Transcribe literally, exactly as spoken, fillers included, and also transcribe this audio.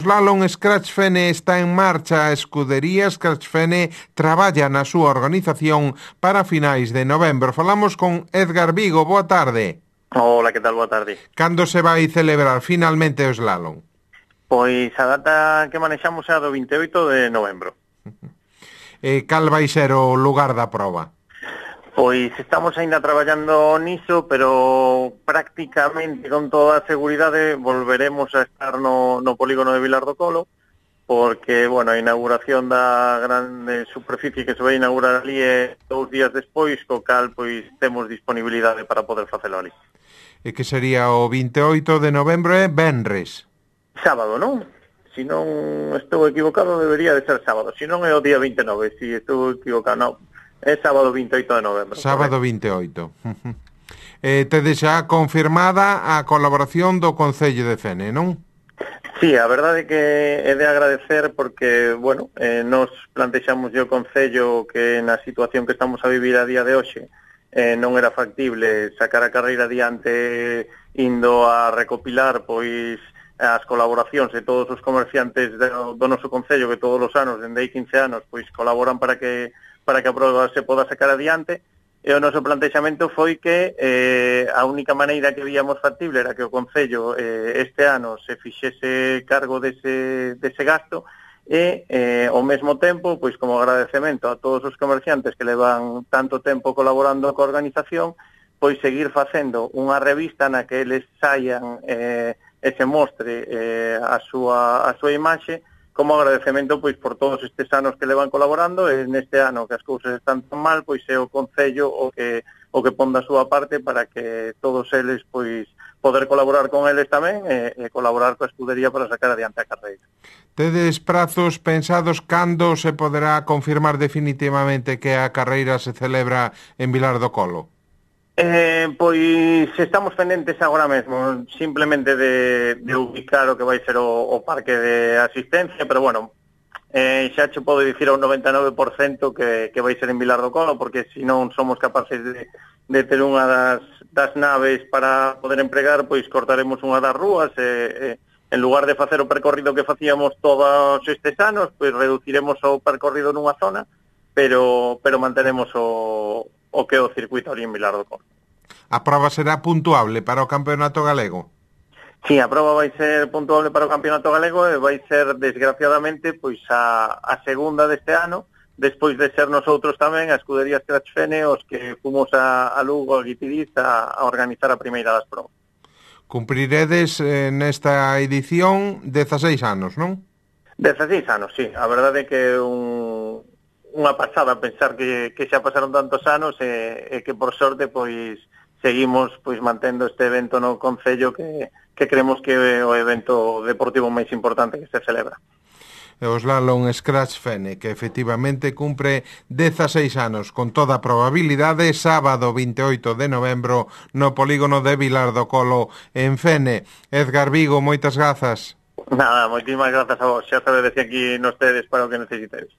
Slalom Scratch Fene está en marcha. A escudería Scratch Fene traballa na súa organización para finais de novembro. Falamos con Edgar Vigo. Boa tarde. Hola, que tal? Boa tarde. Cando se vai celebrar finalmente o slalom? Pois a data que manexamos é a do vinte e oito de novembro. E cal vai ser o lugar da proba? Pois estamos aínda traballando niso, pero prácticamente con toda a seguridade volveremos a estar no, no polígono de Vilar do Colo, porque, bueno, a inauguración da grande superficie que se vai inaugurar ali é dous días despois, co cal, pois, temos disponibilidade para poder facelo ali. E que sería o vinte e oito de novembro e venres? Sábado, non? Si non estou equivocado, debería de ser sábado. Si non é o día vinte e nove, si estou equivocado, non. É sábado vinte e oito de novembro. Sábado vinte e oito. eh, tedes xa confirmada a colaboración do Concello de Fene, non? Sí, a verdade é que é de agradecer porque, bueno, eh, nos plantexamos o Concello que na situación que estamos a vivir a día de hoxe eh, non era factible sacar a carreira adiante indo a recopilar, pois, as colaboracións de todos os comerciantes do, do noso Concello que todos os anos, dende hai quince anos, pois colaboran para que para que a prova se poda sacar adiante, e o noso plantexamento foi que eh, a única maneira que víamos factible era que o Concello eh, este ano se fixese cargo dese, dese gasto e, eh, ao mesmo tempo, pois como agradecemento a todos os comerciantes que levan tanto tempo colaborando coa organización, pois seguir facendo unha revista na que eles saian eh, e se mostre eh, a súa a súa imaxe como agradecemento pois por todos estes anos que levan colaborando, e neste ano que as cousas están tan mal, pois é o Concello o que o que pon da súa parte para que todos eles pois poder colaborar con eles tamén e, e colaborar coa escudería para sacar adiante a carreira. Tedes prazos pensados cando se poderá confirmar definitivamente que a carreira se celebra en Vilar do Colo? Eh, pois estamos pendentes agora mesmo simplemente de, de ubicar o que vai ser o, o parque de asistencia, pero bueno, eh, xa che podo dicir ao noventa e nove por cento que, que vai ser en Vilar do Colo, porque se non somos capaces de, de ter unha das, das naves para poder empregar, pois cortaremos unha das rúas e, e en lugar de facer o percorrido que facíamos todos estes anos, pois reduciremos o percorrido nunha zona, pero, pero mantenemos o o que é o circuito ali en Vilar do Colo. A prova será puntuable para o Campeonato Galego? Sí, a prova vai ser puntuable para o Campeonato Galego e vai ser, desgraciadamente, pois a, a segunda deste ano, despois de ser nosotros tamén, a escudería Scratch Fene, os que fomos a, a Lugo, a Guitiriz, a, a organizar a primeira das provas. Cumpriredes eh, nesta edición dezaseis anos, non? dezaseis anos, sí. A verdade é que é un... unha pasada pensar que, que xa pasaron tantos anos e, e que por sorte pois seguimos pois mantendo este evento no Concello que, que creemos que é o evento deportivo máis importante que se celebra. O Slalom Scratch Fene, que efectivamente cumpre dezaseis anos, con toda a probabilidade, sábado vinte e oito de novembro no polígono de Vilar do Colo en Fene. Edgar Vigo, moitas grazas. Nada, moitísimas grazas a vos, xa sabedes que aquí nos tedes para o que necesitedes.